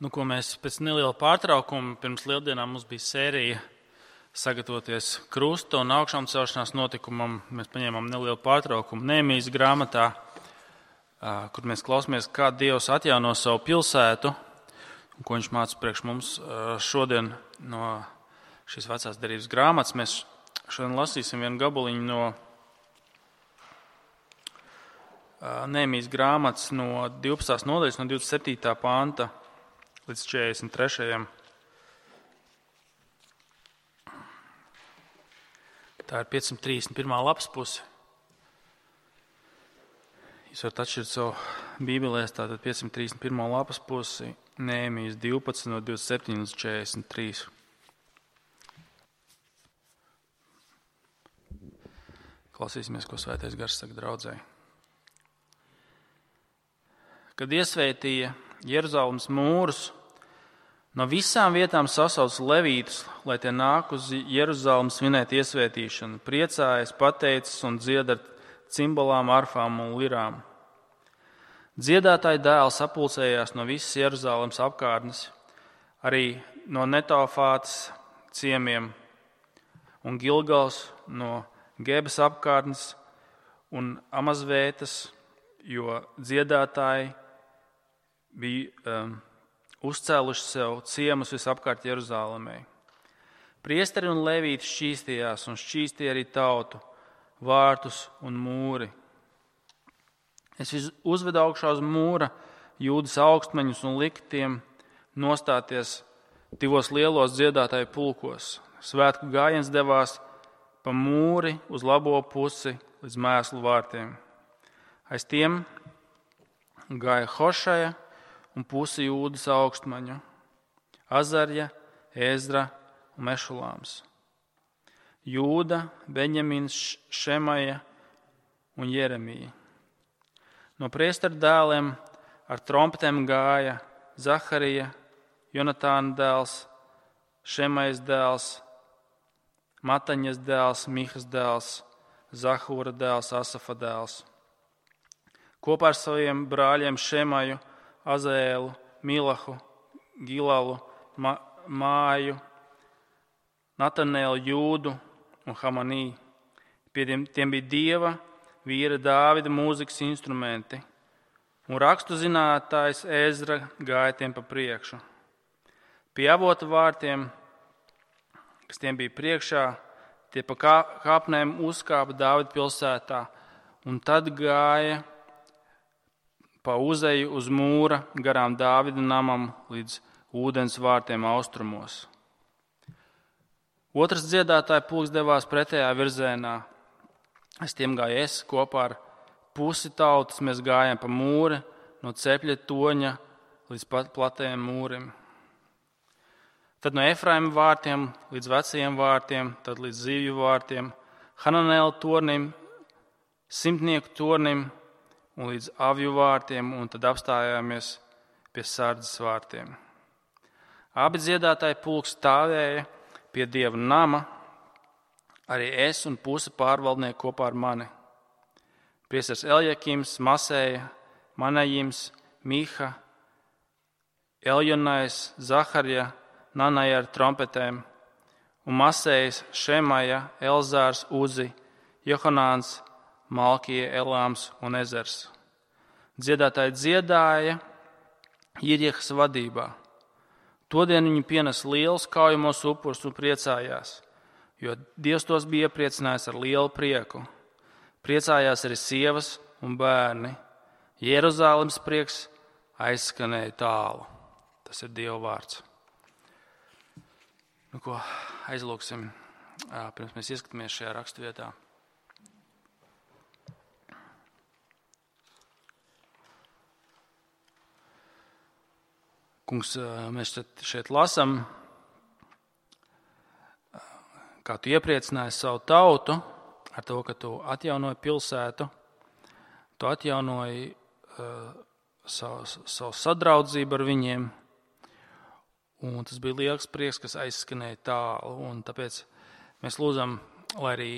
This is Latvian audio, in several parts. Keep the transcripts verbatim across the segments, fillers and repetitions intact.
Nu, ko mēs pēc neliela pārtraukuma pirms lieldienām mums bija sērija sagatavoties krusta un augšām celšanās notikumam. Mēs paņēmām nelielu pārtraukumu Nehemijas grāmatā, kur mēs klausāmies, kā Dievs atjauno savu pilsētu, un ko viņš māca priekš mums šodien no šīs vecās derības grāmatas. Mēs šodien lasīsim vienu gabaliņu no Nehemijas grāmatas no divpadsmitās nodaļas, no divdesmit septītā panta līdz četrdesmit trešajam. Tā ir piecsimt trīsdesmit pirmā lapas puse. Jūs varat atšķirt savu bībelēs, tātad piecsimt trīsdesmit pirmā lapas pusi, Nehemijas divpadsmit no divdesmit septiņi līdz četrdesmit trīs. Klausīsimies, ko Svētais Gars saka draudzei. Kad iesvētīja Jeruzalemes mūrus, no visām vietām sasauc levītus, lai tie nāk uz Jeruzalem svinēt iesvētīšanu, priecājas, pateicas un dzied ar cimbalām, arfām un lirām. Dziedātāji dēli sapulcējās no visas Jeruzalemes apkārtnes, arī no Netofātas ciemiem un Gilgals, no Gebas apkārtnes un Amazvētas, jo dziedātāji bija um, uzcēluši sev ciemus visapkārt Jeruzalemē. Priesteri un levīti šķīstījās un šķīstīja arī tautu, vārtus un mūri. Es uzvedu augšā uz mūra Jūdas augstmeņus un liku tiem nostāties divos lielos dziedātāju pulkos. Svētku gājiens devās pa mūri uz labo pusi līdz mēslu vārtiem. Aiz tiem gāja Hošaja un pusi Jūdas augstmaņu, Azarja, Ezra un Mešulāms. Jūda, Beņjamins, Šemaja un Jeremija. No priesteru dēliem ar trompetēm gāja Zaharija, Jonatāna dēls, Šemajas dēls, Mataņas dēls, Mihas dēls, Zahūra dēls, Asafa dēls. Kopā ar saviem brāļiem Šemaju, Azēlu, Milahu, Gilalu, Ma- Māju, Natanēlu, Jūdu un Hamanī. Pie tiem, tiem bija Dieva, vīra Dāvida mūzikas instrumenti, un rakstu zinātājs Ezra gāja tiem pa priekšu. Pie avota vārtiem, kas tiem bija priekšā, tie pa kāpnēm uzkāpa Dāvida pilsētā, un tad gāja pa uzeju uz mūra garām Dāvida namam līdz ūdens vārtiem austrumos. Otrs dziedātāju pulks devās pretējā virzienā. Es tiem gāju es kopā ar pusi tautas, mēs gājām pa mūri no cepļa toņa līdz platajiem mūrim. Tad no Efraima vārtiem līdz vecajiem vārtiem, tad līdz zivju vārtiem, Hananēla tornim, simtnieku tornim un līdz avju vārtiem, un tad apstājāmies pie sardzes vārtiem. Abi dziedātāji pulks stāvēja pie Dieva nama, arī es un puse pārvaldnieki kopā ar mani. Priesteris Eljakims, Masēja, Manajims, Miha, Eljonais, Zaharja, Nanaja ar trompetēm, un Masējas, Šemaja, Elzārs, Uzi, Johanāns, Malkija, Elāms un Ezers. Dziedātāji dziedāja Irjehas vadībā. Todien viņi pienes lielus kaujamos upurus un priecājās, jo Dievs tos bija iepriecinājis ar lielu prieku. Priecājās arī sievas un bērni. Jeruzalemes prieks aizskanēja tālu. Tas ir Dieva vārds. Nu, ko aizlūksim, pirms mēs ieskatāmies šajā raksturvietā. Kungs, mēs šeit lasām, kā tu iepriecināji savu tautu ar to, ka tu atjaunoji pilsētu, tu atjaunoji uh, savu, savu sadraudzību ar viņiem, un tas bija liels prieks, kas aizskanēja tālu, un tāpēc mēs lūdzam, lai arī,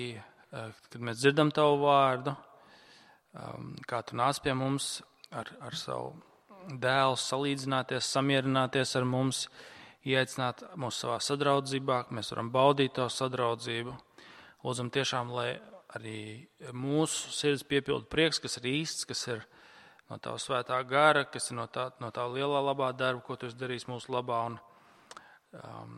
uh, kad mēs dzirdam tavu vārdu, um, kā tu nāc pie mums ar, ar savu dēls salīdzināties, samierināties ar mums, ieaicināt mūs savā sadraudzībā, ka mēs varam baudīt to sadraudzību. Lūdzam tiešām, lai arī mūsu sirds piepildu prieks, kas ir īsts, kas ir no tava svētā gara, kas ir no tā, no tā lielā labā darba, ko tu esi darījis mūsu labā. Un, um,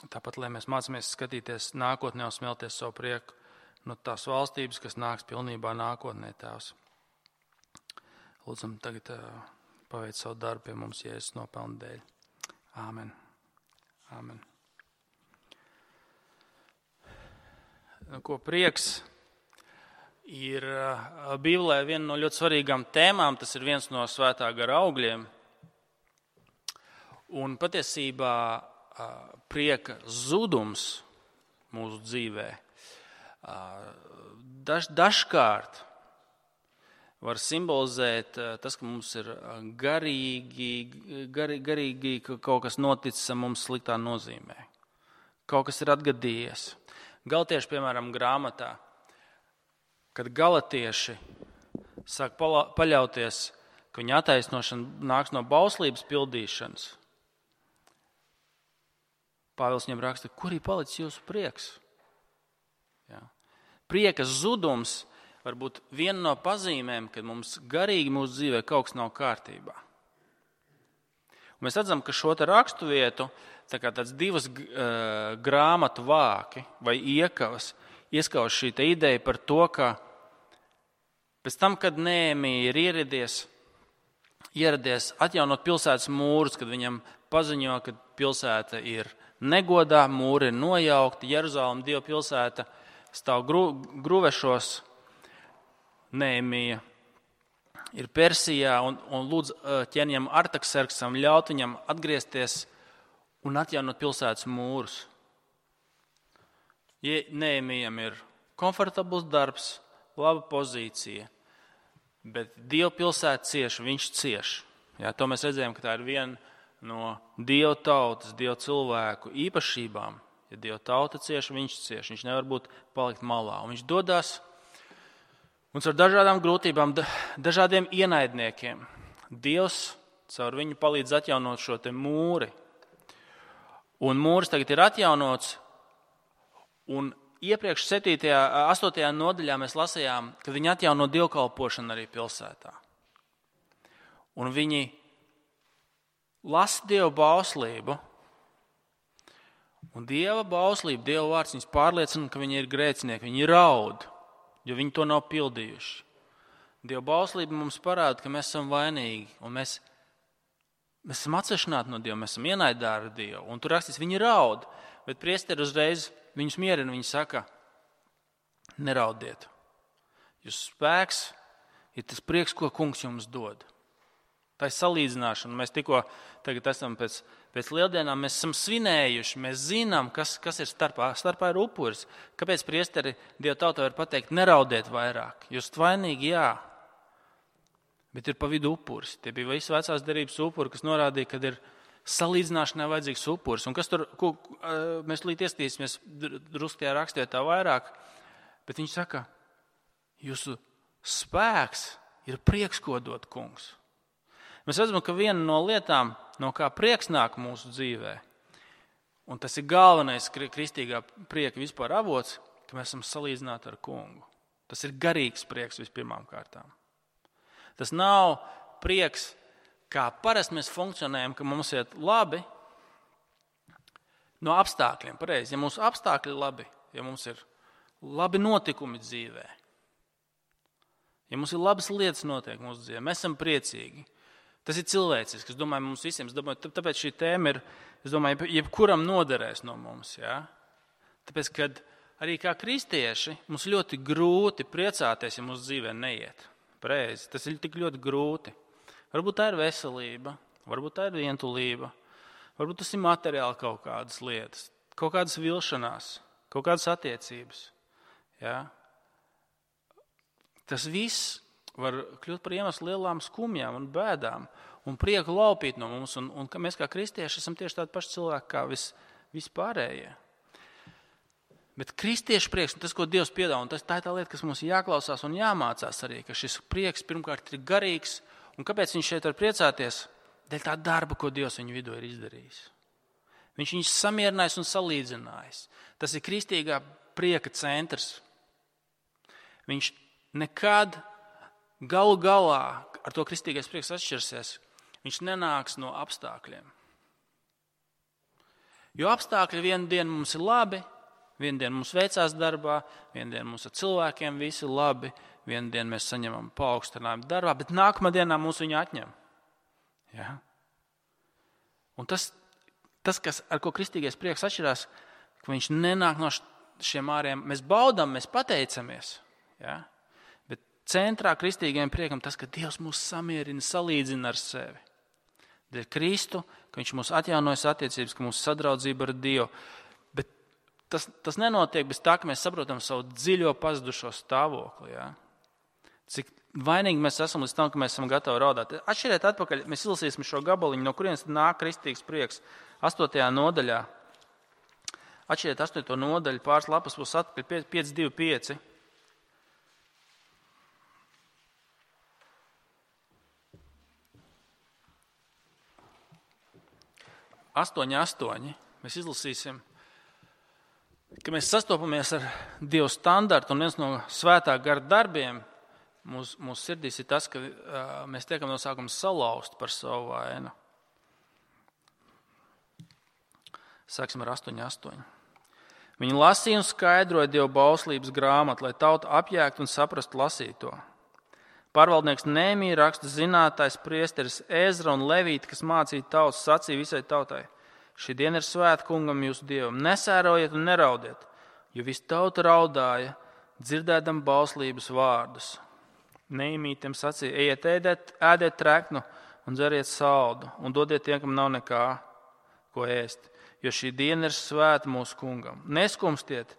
tāpat, lai mēs mācāmies skatīties nākotnē un smelties savu prieku no tās valstības, kas nāks pilnībā nākotnē, Tēvs. Lūdzam tagad uh, paveic savu darbu pie mums Jēzus nopelnu dēļ. Āmen. Āmen. Nu, ko prieks ir uh, Bībelē viena no ļoti svarīgām tēmām, tas ir viens no svētā gara augļiem. Un patiesībā uh, prieka zudums mūsu dzīvē Daž, dažkārt var simbolizēt tas, ka mums ir garīgi, gar, garīgi ka kaut kas noticis mums sliktā nozīmē. Kaut kas ir atgadījies. Galatiešu, piemēram, grāmatā, kad galatieši sāk paļauties, ka viņa attaisnošana nāks no bauslības pildīšanas, Pāvils viņam raksta, kur ir palicis jūsu prieks? Jā. Prieka zudums var būt viena no pazīmēm, kad mums garīgi mūsu dzīvē kaut kas nav kārtībā. Un mēs redzam, ka šo te rakstu vietu, tā kā tāds divas uh, grāmatu vāki vai iekavas, ieskauž šī te ideja par to, ka pēc tam, kad Nehēmija ir ieradies, ieradies atjaunot pilsētas mūrus, kad viņam paziņo, ka pilsēta ir negodā, mūri ir nojaukti, Jeruzalem, Dieva pilsēta, stāv gru, gruvešos, Nehēmija ir Persijā un, un lūdz ķēniņam Artakserksam ļaut viņam atgriezties un atjaunot pilsētas mūrus. Ja Nehēmijam ir komfortabls darbs, laba pozīcija, bet Dieva pilsēta cieš, viņš cieš. Jā, to mēs redzējām, ka tā ir viena no Dieva tautas, Dieva cilvēku īpašībām. Ja Dieva tauta cieš, viņš cieš. Viņš nevar būt palikt malā. Un viņš dodās un ar dažādām grūtībām, dažādiem ienaidniekiem. Dievs caur viņu palīdz atjaunot šo te mūri. Un mūris tagad ir atjaunots. Un iepriekš septītajā, astotajā nodaļā mēs lasījām, ka viņi atjauno dievkalpošanu arī pilsētā. Un viņi lasa Dievu bauslību. Un Dieva bauslība, Dieva vārds viņus pārliecina, ka viņi ir grēcinieki, viņi raud, jo viņi to nav pildījuši. Dieva bauslība mums parāda, ka mēs esam vainīgi, un mēs, mēs esam atsevišķināti no Dieva, mēs esam ienaidā ar Dievu. Un tur rakstīts, viņi raud, bet priesteri uzreiz viņus mierina, viņi saka, neraudiet. Jūsu spēks ir tas prieks, ko kungs jums dod. Tā ir salīdzināšana. Mēs tikko tagad esam pēc, pēc lieldienām, mēs esam svinējuši, mēs zinām, kas, kas ir starpā. Starpā ir upuris. Kāpēc priesteri Dieva tautā var pateikt, neraudiet vairāk? Jūs vainīgi, jā. Bet ir pa vidu upuris. Tie bija visi vecās derības upuri, kas norādīja, ka ir salīdzināšanai vajadzīgs upuris. Un kas tur, ko, mēs līdz iestīsimies druskajā rakstē tā vairāk, bet viņš saka, jūsu spēks ir prieks, ko dod kungs. Mēs redzam, ka viena no lietām, no kā prieks nāk mūsu dzīvē, un tas ir galvenais kristīgā prieka vispār avots, ka mēs esam salīdzināti ar kungu. Tas ir garīgs prieks vispirmām kārtām. Tas nav prieks, kā parasti mēs funkcionējam, ka mums iet labi no apstākļiem. Pareizi, ja mūsu apstākļi ir labi, ja mums ir labi notikumi dzīvē, ja mums ir labas lietas notiek mūsu dzīvē, mēs esam priecīgi. Tas ir cilvēcisks. Es domāju, mums visiem, es domāju, tāpēc šī tēma ir, es domāju, jebkuram noderēs no mums. Ja? Tāpēc, kad arī kā kristieši mums ļoti grūti priecāties, ja mūsu dzīvē neiet. Pareizi, tas ir tik ļoti grūti. Varbūt tā ir veselība, varbūt tā ir vientulība, varbūt tas ir materiāli kaut kādas lietas, kaut kādas vilšanās, kaut kādas attiecības. Ja? Tas viss var kļūt par iemeslu lielām skumjām un bēdām un prieku laupīt no mums. Un, un mēs kā kristieši esam tieši tādi paši cilvēki kā vis, vispārējie. Bet kristiešu prieks, tas, ko Dievs piedāvā, un tas, tā ir tā lieta, kas mums jāklausās un jāmācās arī, ka šis prieks pirmkārt ir garīgs Un kāpēc viņš šeit var priecāties? Dēļ tā darba, ko Dievs viņu vidū ir izdarījis. Viņš viņus samierinājis un salīdzinājis. Tas ir kristīgā prieka centrs. Viņš nekad galu galā ar to kristīgais prieks atšķirsies. Viņš nenāks no apstākļiem. Jo apstākļi vienu dienu mums ir labi, vienu dienu mums veicās darbā, vienu dienu mums ar cilvēkiem visi labi, vienu dienu mēs saņemam paaugstinājumu darbā, bet nākamā dienā mūs viņu atņem. Ja? Un tas, tas, kas, ar ko kristīgais prieks atšķirās, ka viņš nenāk no šiem āriem. Mēs baudām, mēs pateicamies. Ja? Bet centrā kristīgajam priekam tas, ka Dievs mūs samierina, salīdzina ar sevi. Dēļ Kristu, ka viņš mūs atjaunojas attiecības, ka mūsu sadraudzība ar Dievu. Bet tas, tas nenotiek bez tā, ka mēs saprotam savu dziļo pazudušo stāvokli. Ja? Cik vainīgi mēs esam līdz tam, ka mēs esam gatavi raudāt. Atšķiriet atpakaļ, mēs izlasīsim šo gabaliņu, no kurienes nāk kristīgs prieks. Astotajā nodaļā. Atšķiriet astoto nodaļu, pāris lapas būs atpakaļ, pieci divi pieci. astoņi astoņi. Mēs izlasīsim, ka mēs sastopamies ar Dievu standartu, un viens no svētā gara darbiem mūsu, mūsu sirdīs ir tas, ka uh, mēs tiekam no sākuma salauzt par savu vainu. Sāksim ar astoņi astoņi. Viņi lasīja un skaidroja Dieva bauslības grāmatu, lai tauta apjēgtu un saprastu lasīto. Pārvaldnieks Nehemija, raksta zinātājs, priesteris Ezra un Levīti, kas mācīja tautas, sacīja visai tautai: šī diena ir svēta kungam jūsu Dievam, nesērojiet un neraudiet, jo visa tauta raudāja, dzirdēdam bauslības vārdus. Nehemija tiem sacīja: ejiet, ēdiet, ēdiet treknu un dzeriet saldu, un dodiet tiem, kam nav nekā, ko ēst, jo šī diena ir svēta mūsu kungam. Neskumstiet,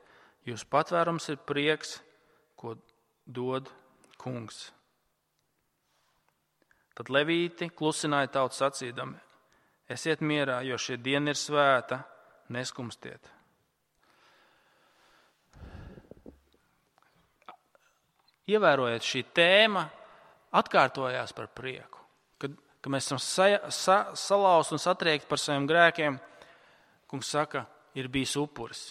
jūsu patvērums ir prieks, ko dod kungs. Tad Levīti klusināja tautu sacīdami: esiet mierā, jo šī diena ir svēta, neskumstiet. Ievērojiet, šī tēma atkārtojās par prieku. Kad, kad mēs esam sa, sa, salauzti un satriekti par saviem grēkiem, kungs saka, ir bijis upuris.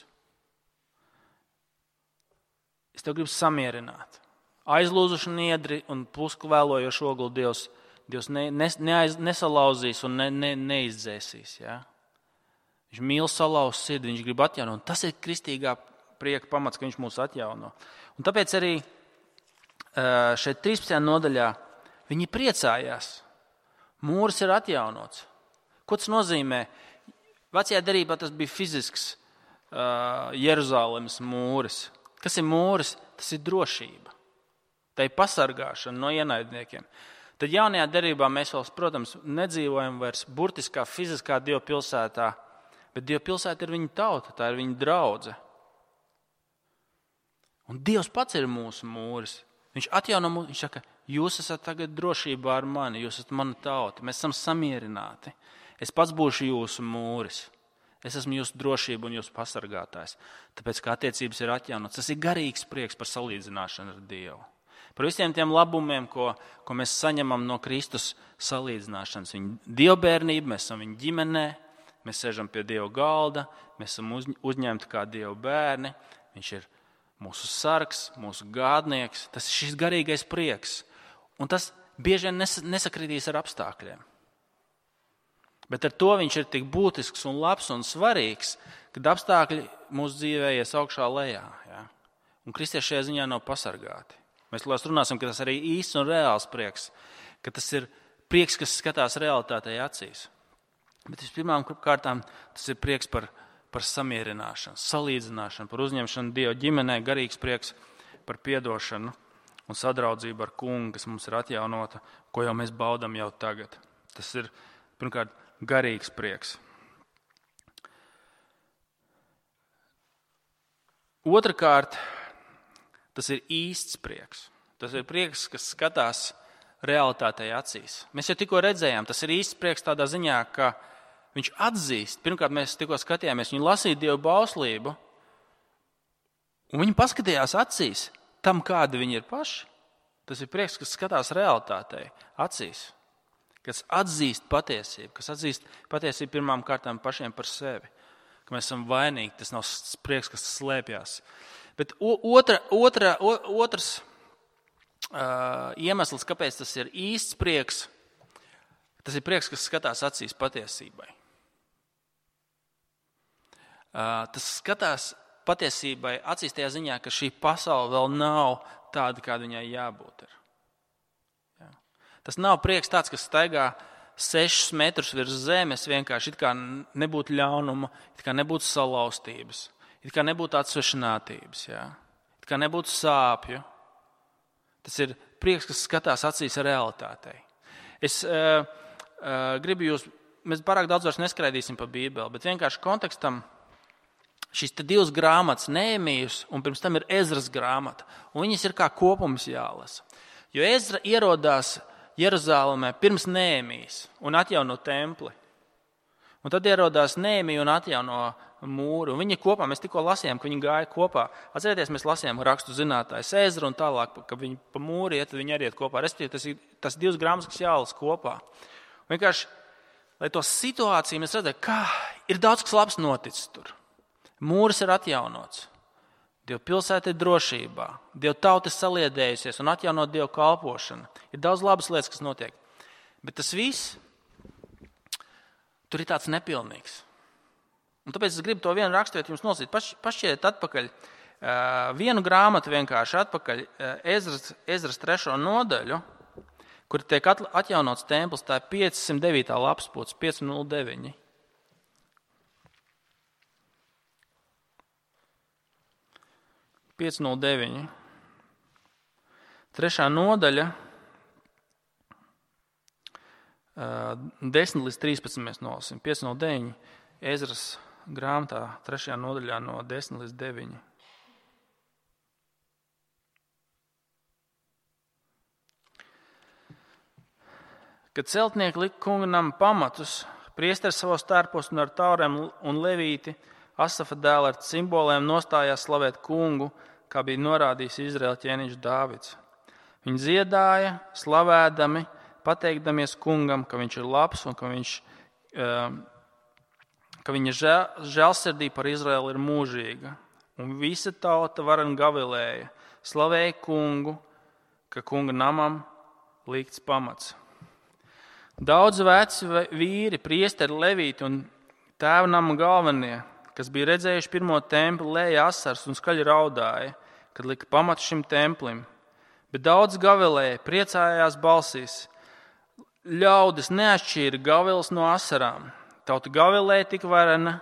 Es tev gribu samierināt. Aizlūzuši niedri un puskvēlojoši oguli Dievs. Dievs ne, ne, neaiz, nesalauzīs un ne, ne, neizdzēsīs. Ja? Viņš mīl salauzt sirdi, viņš grib atjaunot. Tas ir kristīgā prieka pamats, ka viņš mūs atjauno. Un tāpēc arī šeit trīspadsmitajā nodaļā viņi priecājās. Mūris ir atjaunots. Ko tas nozīmē? Vecajā derībā tas bija fizisks uh, Jeruzalemes mūris. Kas ir mūris? Tas ir drošība. Tā ir pasargāšana no ienaidniekiem. Tad jaunajā derībā mēs vēl, protams, nedzīvojam vairs burtiskā, fiziskā Dieva pilsētā, bet Dieva pilsēta ir viņa tauta, tā ir viņa draudze. Un Dievs pats ir mūsu mūris. Viņš atjauno mūsu, viņš saka, jūs esat tagad drošībā ar mani, jūs esat mana tauta, mēs esam samierināti. Es pats būšu jūsu mūris. Es esmu jūsu drošība un jūsu pasargātājs. Tāpēc, kā attiecības ir atjaunotas, tas ir garīgs prieks par salīdzināšanu ar Dievu. Par visiem tiem labumiem, ko, ko mēs saņemam no Kristus salīdzināšanas. Viņa dievbērnība, mēs esam viņa ģimenē, mēs sēžam pie Dieva galda, mēs esam uz, uzņemti kā Dieva bērni. Viņš ir mūsu sargs, mūsu gādnieks. Tas ir šis garīgais prieks. Un tas bieži vien nes, nesakritīs ar apstākļiem. Bet ar to viņš ir tik būtisks un labs un svarīgs, kad apstākļi mūsu dzīvē ies augšā lejā. Ja? Un kristieši šajā ziņā nav pasargāti. Mēs runāsim, ka tas arī īsts un reāls prieks, ka tas ir prieks, kas skatās realitātei acīs. Bet vispirmām kārtām tas ir prieks par, par samierināšanu, salīdzināšanu, par uzņemšanu Dieva ģimenē, garīgs prieks par piedošanu un sadraudzību ar kungu, kas mums ir atjaunota, ko jau mēs baudam jau tagad. Tas ir, pirmkārt, garīgs prieks. Otrakārt, tas ir īsts prieks. Tas ir prieks, kas skatās realitātei acīs. Mēs jau tikko redzējām, tas ir īsts prieks tādā ziņā, ka viņš atzīst. Pirmkārt, mēs tikko skatījāmies, viņi lasīja Dieva bauslību, un viņi paskatījās acīs tam, kādi viņi ir paši. Tas ir prieks, kas skatās realitātei acīs. kas atzīst patiesību, kas atzīst patiesību pirmām kārtām pašiem par sevi, ka mēs esam vainīgi, tas nav prieks, kas slēpjas. Bet otra, otra, otrs uh, iemesls, kāpēc tas ir īsts prieks, tas ir prieks, kas skatās acīs patiesībai. Uh, tas skatās patiesībai acīs tajā ziņā, ka šī pasaule vēl nav tāda, kāda viņai jābūt ir. Jā. Tas nav prieks tāds, kas staigā sešus metrus virs zemes, vienkārši it kā nebūtu ļaunuma, it kā nebūtu salauztības, it kā nebūtu atsvešinātības, jā. It kā nebūtu sāpju. Tas ir prieks, kas skatās acīs realitātei. Es uh, uh, gribu jūs, mēs pārāk daudz vairs neskraidīsim pa Bībeli, bet vienkārši kontekstam šīs te divas grāmatas, Nehemijas un pirms tam ir Ezras grāmata, un viņas ir kā kopums jālasa. Jo Ezra ierodās Jeruzālēmē pirms Nehemijas un atjauno templi. Un tad ierodās Nehemija un atjauno mūru. Un viņi kopā, mēs tikko lasījām, ka viņi gāja kopā. Atcerieties, mēs lasījām rakstu zinātājs Ezru un tālāk, ka viņi pa mūru iet, tad viņi arī iet kopā. Respektīvi, tas ir tas divas grāmatas, kas jālasa kopā. Un vienkārši, lai to situāciju mēs redzētu, kā ir daudz kas labs noticis tur. Mūris ir atjaunots. Dieva pilsēta ir drošībā. Dieva tauta ir saliedējusies un atjaunot Dieva kalpošanu. Ir daudz labas lietas, kas notiek. Bet tas viss tur ir tāds nepilnīgs. Un tāpēc es gribu to vienu raksturiet jums nosīt. Paš, pašķiet atpakaļ uh, vienu grāmatu vienkārši atpakaļ uh, Ezras, Ezras trešo nodaļu, kur tiek atjaunots templis. Tā ir piecsimt devītā lapspuce, pieci nulle deviņi. pieci nulle deviņi. Trešā nodaļa, desmit līdz trīspadsmit mēs nolasīsim. pieci nulle deviņi. Ezras grāmatā, trešajā nodaļā no desmit līdz deviņi. Kad celtnieki lika kunga nama pamatus, priesteris savos tērpos un ar taurēm un levīti, Asafa dēla ar simboliem nostājās slavēt kungu, kā bija norādījis Izraēla ķēniņš Dāvids. Viņi dziedāja, slavēdami, pateikdamies kungam, ka viņš ir labs un ka, viņš, ka viņa žēlsirdība par Izraēlu ir mūžīga. Un visa tauta varen gavilēja, slavēja kungu, ka kunga namam likts pamats. Daudz veci vīri, priesteri, levīti un tēva nama galvenie, kas bija redzējuši pirmo templi, lēja asars un skaļi raudāja, kad lika pamatu šim templim. Bet daudz gavilēja, priecājās balsīs. Ļaudis neatšķīra gaviles no asarām. Tauta gavilēja tik varena,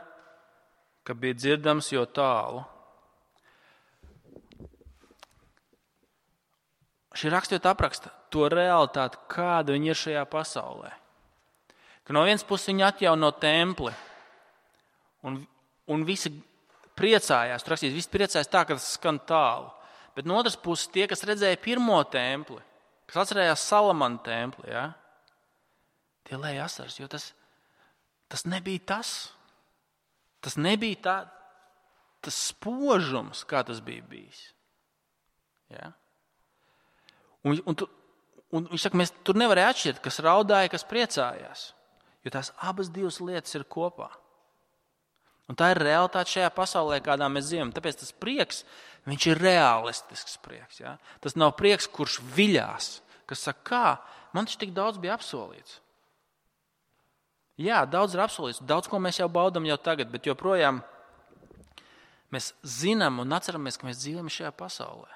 ka bija dzirdams jo tālu. Šī raksturvieta apraksta to realitāti, kāda viņi ir šajā pasaulē. Ka no vienas puses viņi atjauno templi un Un visi priecājās, tur rakstīs, visi priecājās tā, ka tas skan tālu. Bet no otras puses tie, kas redzēja pirmo templi, kas atcerējās Salamana templi, ja, tie lēja asaras, jo tas, tas nebija tas. Tas nebija tā, tas spožums, kā tas bija bijis. Ja. Un, un, un viņš saka, mēs tur nevarēja atšķirt, kas raudāja, kas priecājās, jo tās abas divas lietas ir kopā. Un tā ir realitāte šajā pasaulē, kādā mēs dzīvojam. Tāpēc tas prieks, viņš ir realistisks prieks. Ja? Tas nav prieks, kurš viļās, kas saka, kā, man taču tik daudz bija apsolīts. Jā, daudz ir apsolīts, daudz ko mēs jau baudam jau tagad, bet joprojām mēs zinām un atceramies, ka mēs dzīvojam šajā pasaulē.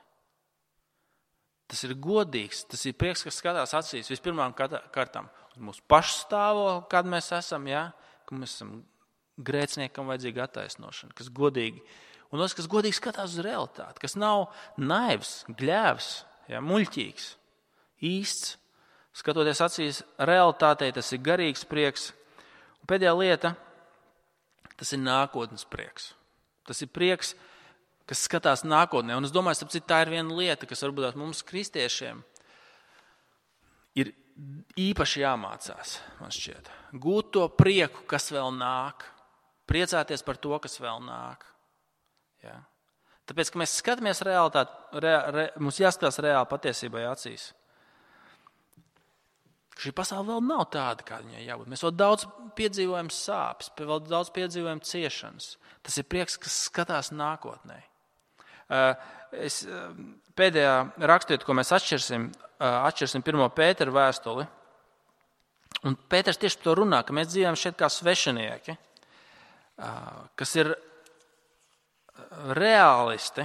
Tas ir godīgs, tas ir prieks, kas skatās acīs vispirmām kārtām uz mūsu pašu stāvokli, kad mēs esam, ja? Ka mēs esam grēciniekam vajadzīga attaisnošana, kas godīgi, un tas, kas godīgi skatās uz realitāti, kas nav naivs, gļēvs, ja, muļķīgs, īsts, skatoties acīs realitātei, tas ir garīgs prieks. Un pēdējā lieta, tas ir nākotnes prieks. Tas ir prieks, kas skatās nākotnē, un es domāju, ka tā ir viena lieta, kas varbūt mums kristiešiem ir īpaši jāmācās, man šķiet. Gūt to prieku, kas vēl nāk. Priecāties par to, kas vēl nāk. Ja? Tāpēc, ka mēs skatāmies realitāti, re, re, mums jāskatās reāli patiesībai acīs. Šī pasaule vēl nav tāda, kā viņai jābūt. Mēs vēl daudz piedzīvojam sāpes, vēl daudz piedzīvojam ciešanas. Tas ir prieks, kas skatās nākotnē. Es, pēdējā raksturiet, ko mēs atšķirsim, atšķirsim pirmo Pētera vēstuli. Un Pēters tieši par to runā, ka mēs dzīvojam šeit kā svešinieki, kas ir reālisti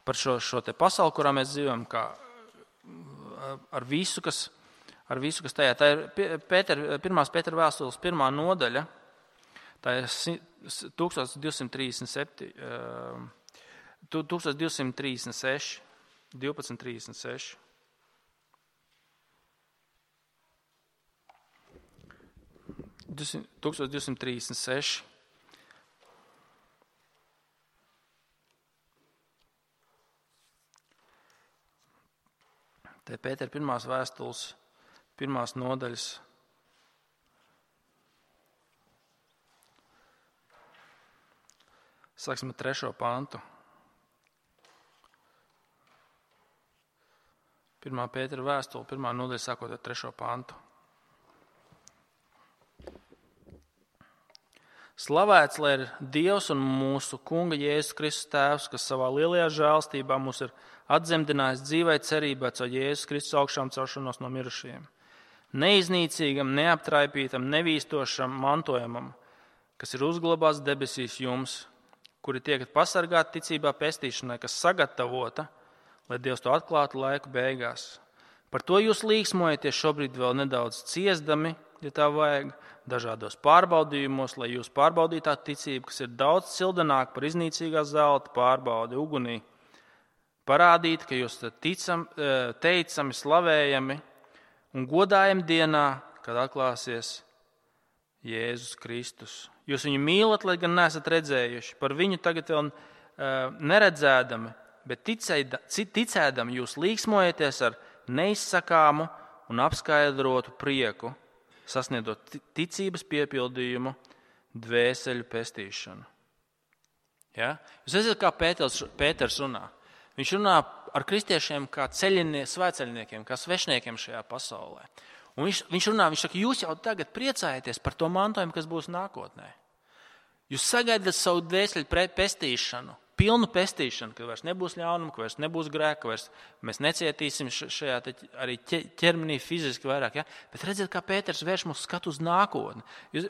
par šo, šo te pasauli, kurā mēs dzīvojam, kā ar visu, kas, ar visu, kas tajā. Tā ir Pēter, pirmās Pētera vēstules pirmā nodaļa, tā ir tūkstoš divsimt trīsdesmit septiņi, tūkstoš divsimt trīsdesmit seši, divpadsmit trīsdesmit seši. tūkstoš divsimt trīsdesmit seši. Te Pētera pirmās vēstules, pirmās nodaļas. Sāksim ar trešo pantu. Pirmā Pētera vēstule, pirmā nodaļa sākot ar trešo pantu. Slavēts, lai ir Dievs un mūsu Kunga Jēzus Kristus Tēvs, kas savā lielajā žēlstībā mūs ir atdzemdinājis dzīvai cerībā caur Jēzus Kristus augšām celšanos no mirušajiem. Neiznīcīgam, neaptraipītam, nevīstošam mantojumam, kas ir uzglabāts debesīs jums, kuri tiekat pasargāti ticībā pestīšanai, kas sagatavota, lai Dievs to atklātu laiku beigās. Par to jūs līksmojaties šobrīd vēl nedaudz ciesdami, ja tā vajag, dažādos pārbaudījumos, lai jūs pārbaudītu tā ticību, kas ir daudz cildenāka par iznīcīgā zelta pārbaudi ugunī. Parādīt, ka jūs ticam, teicami, slavējami un godājami dienā, kad atklāsies Jēzus Kristus. Jūs viņu mīlat, lai gan neesat redzējuši, par viņu tagad vēl neredzēdami, bet ticēdami jūs līksmojaties ar neizsakāmu un apskaidrotu prieku, sasniedzot ticības piepildījumu, dvēseļu pestīšanu. Ja? Jūs redzat, kā Pēters, Pēters runā. Viņš runā ar kristiešiem kā svētceļniekiem, kā svešniekiem šajā pasaulē. Un viņš, viņš runā, viņš saka, jūs jau tagad priecājaties par to mantojumu, kas būs nākotnē. Jūs sagaidat savu dvēseļu pestīšanu, pilnu pestīšanu, ka vairs nebūs ļaunuma, ka vairs nebūs grēka, ka vairs mēs necietīsim šajā arī ķermenī fiziski vairāk. Ja? Bet redziet, kā Pēters vērš mūsu skatu uz nākotni. Jūs,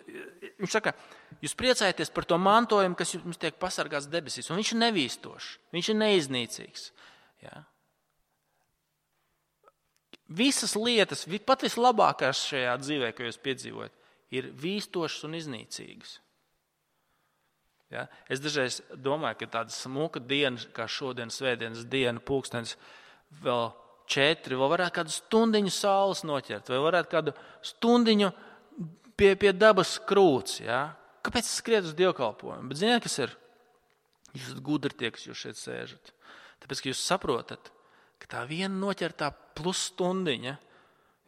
viņš saka, jūs priecājaties par to mantojumu, kas jums tiek pasargāts debesīs. Un viņš ir nevīstošs, viņš ir neiznīcīgs. Ja? Visas lietas, pat vislabākās šajā dzīvē, ko jūs piedzīvojat, ir vīstošas un iznīcīgas. Ja? Es dažreiz domāju, ka tāda smuka diena, kā šodien svētdienas diena, pulkstens vēl četri, vēl varētu kādu stundiņu saules noķert, vai varētu kādu stundiņu pie, pie dabas krūts. Ja? Kāpēc es skrietu uz dievkalpojumu? Bet ziniet, kas ir? Jūs esat gudri tie, kas jūs šeit sēžat. Tāpēc, ka jūs saprotat, ka tā viena noķertā plus stundiņa,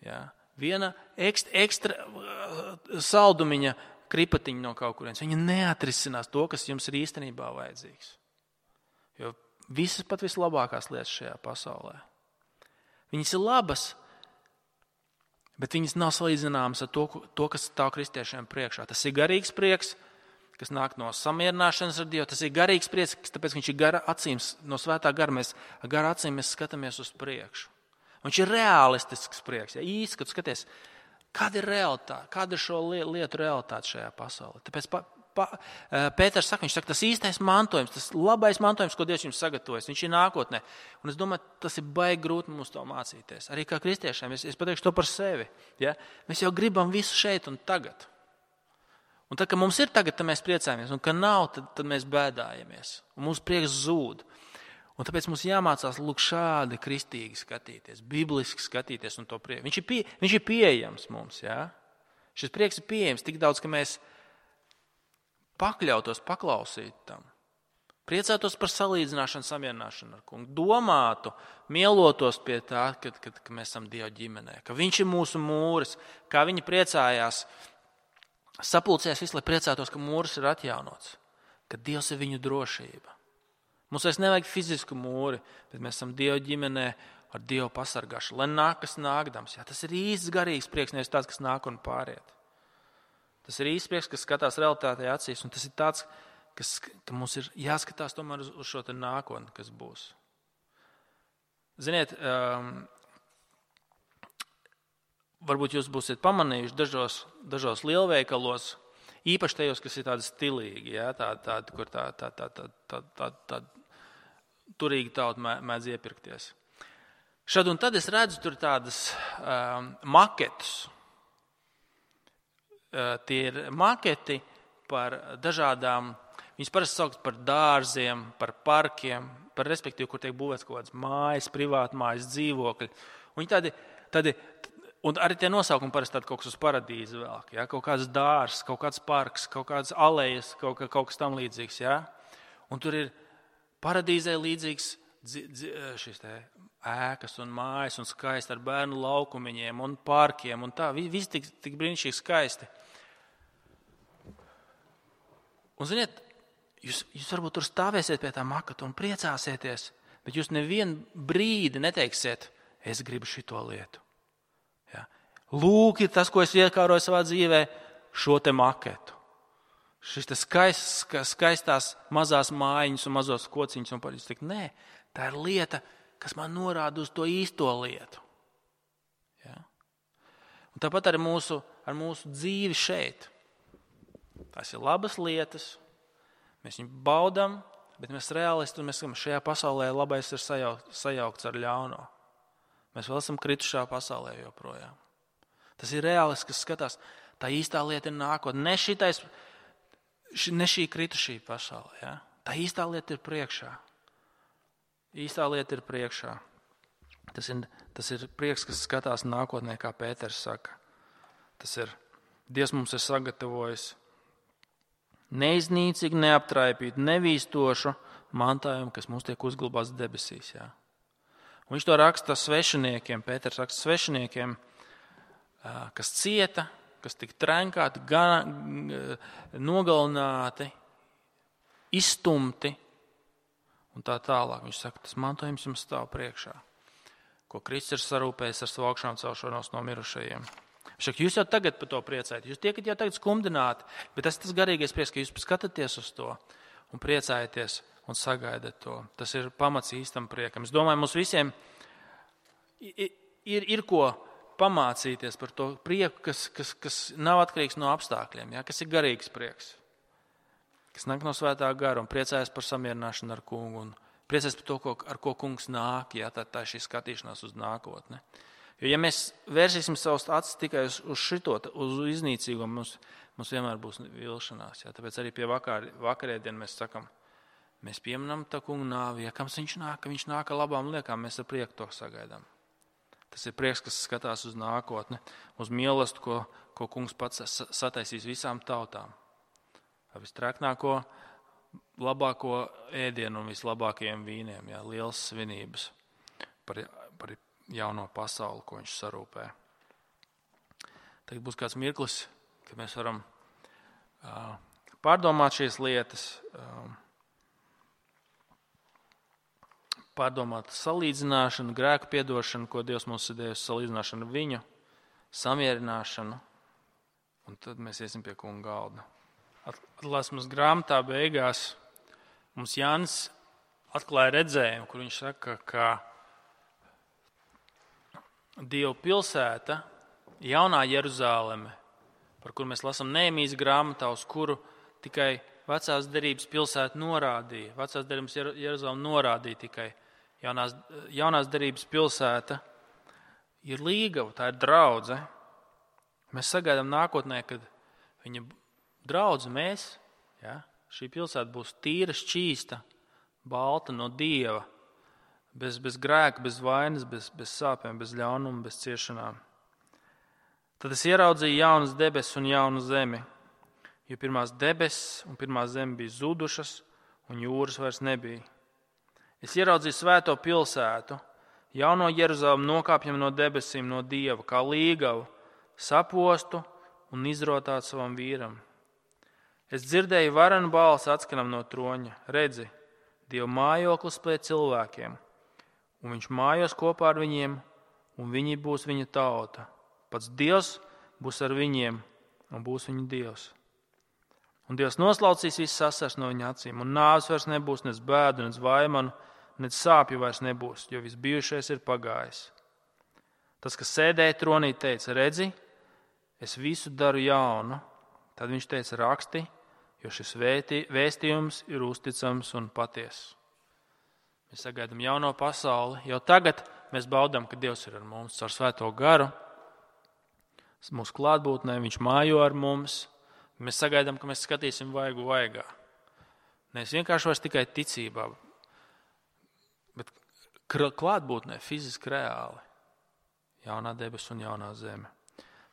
ja? Viena ekstra, ekstra saldumiņa, kripatiņi no kaut kurienes. Viņi neatrisinās to, kas jums ir īstenībā vajadzīgs. Jo visas pat vislabākās lietas šajā pasaulē. Viņas ir labas, bet viņas nav salīdzināmas ar to, to kas stāv kristiešiem priekšā. Tas ir garīgs prieks, kas nāk no samierināšanas ar Dievu. Tas ir garīgs prieks, tāpēc viņš ir gara acīm, no svētā gara. Mēs ar gara acīm mēs skatāmies uz priekšu. Viņš ir realistisks prieks. Ja? Īsti, kad skaties, kāda ir realitāte, kāda ir šo lietu realitāte šajā pasaulē. Tāpēc pa, pa, Pēters saka, viņš saka, tas īstais mantojums, tas labais mantojums, ko Dievs jums sagatavojas, viņš ir nākotnē. Un es domāju, tas ir baigi grūti mums to mācīties. Arī kā kristiešiem, es, es pateikšu to par sevi. Ja? Mēs jau gribam visu šeit un tagad. Un tad, kad mums ir tagad, tad mēs priecājamies, un kad nav, tad, tad mēs bēdājamies. Un mūsu prieks zūd. Un tāpēc mums jāmācās lūk šādi kristīgi skatīties, bibliski skatīties un to prieku. Viņš ir, pie, viņš ir pieejams mums, jā? Šis prieks ir pieejams tik daudz, ka mēs pakļautos, paklausītu tam. Priecātos par salīdzināšanu, samierināšanu ar kungu. Domātu, mielotos pie tā, kad, kad, kad mēs esam Dieva ģimenē. Ka viņš ir mūsu mūris, kā viņi priecājās, sapulcējās visu, lai priecātos, ka mūris ir atjaunots. Ka Dievs ir viņu drošība. Mums vairs nevajag fizisku mūri, bet mēs esam Dieva ģimenē ar Dievu pasargāšanu, lai nāk, kas nākdams. Jā, tas ir īsts garīgs prieks, nevis tāds, kas nāk un pāriet. Tas ir īsts prieks, kas skatās realitātē acīs, un tas ir tāds, kas, ka mums ir jāskatās tomēr uz, uz šo te nākotni, kas būs. Ziniet, um, varbūt jūs būsiet pamanījuši dažos, dažos lielveikalos, īpaši tajos, kas ir tādi stilīgi, jā, tādi, tādi, kur tā, tā, tā, tā, tā, tā, tā turīgi tauta mēdz iepirkties. Šad un tad es redzu tur tādas um, maketus. Uh, tie ir maketi par dažādām, viņas parasti sauc par dārziem, par parkiem, par respektīvi, kur tiek būvēts kaut kādas mājas, privātmājas, dzīvokļi. Un, tādi, tādi, un arī tie nosaukumi parasti tādi kaut kas uz paradīzi velk, ja? Kaut kāds dārs, kaut kāds parks, kaut kādas alejas, kaut, kaut kas tam līdzīgs. Ja? Un tur ir paradīzē līdzīgs dzi, dzi, šis te ēkas un mājas un skaisti ar bērnu laukumiņiem un parkiem un tā. Viss tik, tik brīnišķīgi skaisti. Un, ziniet, jūs, jūs varbūt tur stāvēsiet pie tā makata un priecāsieties, bet jūs nevienu brīdi neteiksiet, es gribu šito lietu. Ja? Lūk, ir tas, ko es iekāroju savā dzīvē, šo te maketu. Šis te skaists, skaistās mazās mājiņas un mazos kociņus un paļus. Nē, tā ir lieta, kas man norāda uz to īsto lietu. Ja? Un tāpat ar mūsu, ar mūsu dzīvi šeit. Tās ir labas lietas, mēs viņu baudam, bet mēs realisti, mēs sakam, šajā pasaulē labais ir sajaukts, sajaukts ar ļauno. Mēs vēl esam kritušā pasaulē joprojām. Tas ir realists, kas skatās, tā īstā lieta ir nākotne. Ne, šitais, ne šī kritušī pasaulē. Ja? Tā īstā lieta ir priekšā. Īstā lieta ir priekšā. Tas ir, tas ir prieks, kas skatās nākotnē, kā Pēters saka. Tas ir, Dievs mums ir sagatavojis neiznīcīgi, neaptraipīt, nevīstošu mantājumu, kas mums tiek uzglabāts debesīs. Jā. Un viņš to raksta svešiniekiem, Pēters raksta svešiniekiem, kas cieta, kas tika trenkāti, nogalināti, izstumti un tā tālāk. Viņš saka, tas mantojums jums stāv priekšā, ko Kristus ir sarūpējis ar savu augšām celšanos no mirušajiem. Viņš saka, jūs jau tagad par to priecājat, jūs tiekat jau tagad skumdināti, bet tas ir tas garīgais prieks, ka jūs skatāties uz to un priecājaties un sagaidat to. Tas ir pamats īstam priekam. Es domāju, mums visiem ir, ir, ir ko pamācīties par to prieku, kas, kas, kas nav atkarīgs no apstākļiem, ja? Kas ir garīgs prieks, kas nāk no svētā gara un priecājas par samierināšanu ar kungu un priecājas par to, ko, ar ko kungs nāk, ja? tā, tā ir šī skatīšanās uz nākotni. Jo, ja mēs vērsīsim savus acis tikai uz, uz šito, uz iznīcīgo, mums, mums vienmēr būs vilšanās. Ja? Tāpēc arī pie vakar, vakarēdien mēs sakam, mēs pieminam tā kungu nāvi, ja kams viņš nāk, ka viņš nāk ar labām liekām, mēs ar prieku to sagaidām. Tas ir prieks, kas skatās uz nākotni, uz mīlestību, ko, ko kungs pats sataisīs visām tautām. Ar vistrēknāko, labāko ēdienu un vislabākajiem vīniem, ja? Lielas svinības par, par jauno pasauli, ko viņš sarūpē. Tagad būs kāds mirklis, kad mēs varam uh, pārdomāt šīs lietas, uh, pārdomāt salīdzināšanu, grēku piedošanu, ko Dievs mums ir devis, salīdzināšanu ar viņu, samierināšanu, un tad mēs iesim pie kunga galda. Atklāsmes grāmatā beigās mums Jānis atklāja redzējumu, kur viņš saka, ka Dieva pilsēta, jaunā Jeruzāleme, par kuru mēs lasām Nehemijas grāmatā, uz kuru tikai vecās derības pilsēta norādīja, vecās derības Jeruzāleme norādīja tikai jaunās, jaunās derības pilsēta, ir līgava, tā ir draudze. Mēs sagaidām nākotnē, kad viņa draudze mēs, ja, šī pilsēta būs tīra, šķīsta, balta no Dieva, bez, bez grēka, bez vainas, bez, bez sāpēm, bez ļaunuma, bez ciešanām. Tad es ieraudzīju jaunas debesis un jaunu zemi, jo pirmās debesis un pirmā zeme bija zudušas un jūras vairs nebija. Es ieraudzīju svēto pilsētu, jauno Jeruzalemi nokāpjam no debesīm no Dieva, kā līgavu, sapostu un izrotātu savam vīram. Es dzirdēju varenu balsi atskanam no troņa, redzi, Dieva mājoklis pie cilvēkiem, un viņš mājos kopā ar viņiem, un viņi būs viņa tauta. Pats Dievs būs ar viņiem, un būs viņa Dievs. Un Dievs noslaucīs visu sasars no viņa acīm, un nāves vairs nebūs, nec bēdu, nec vaimanu, nec sāpju vairs nebūs, jo viss bijušais ir pagājis. Tas, kas sēdēja tronī, teica, redzi, es visu daru jaunu. Tad viņš teica, raksti, jo šis vēstījums ir uzticams un patiess. Mēs sagaidām jauno pasauli. Jau tagad mēs baudām, ka Dievs ir ar mums caur Svēto garu. Mūsu klātbūtnē viņš mājo ar mums. Mēs sagaidām, ka mēs skatīsim vaigu vaigā. Nevis vienkārši vairs tikai ticībā, bet klātbūtnē fiziski reāli. Jaunā debes un jaunā zeme.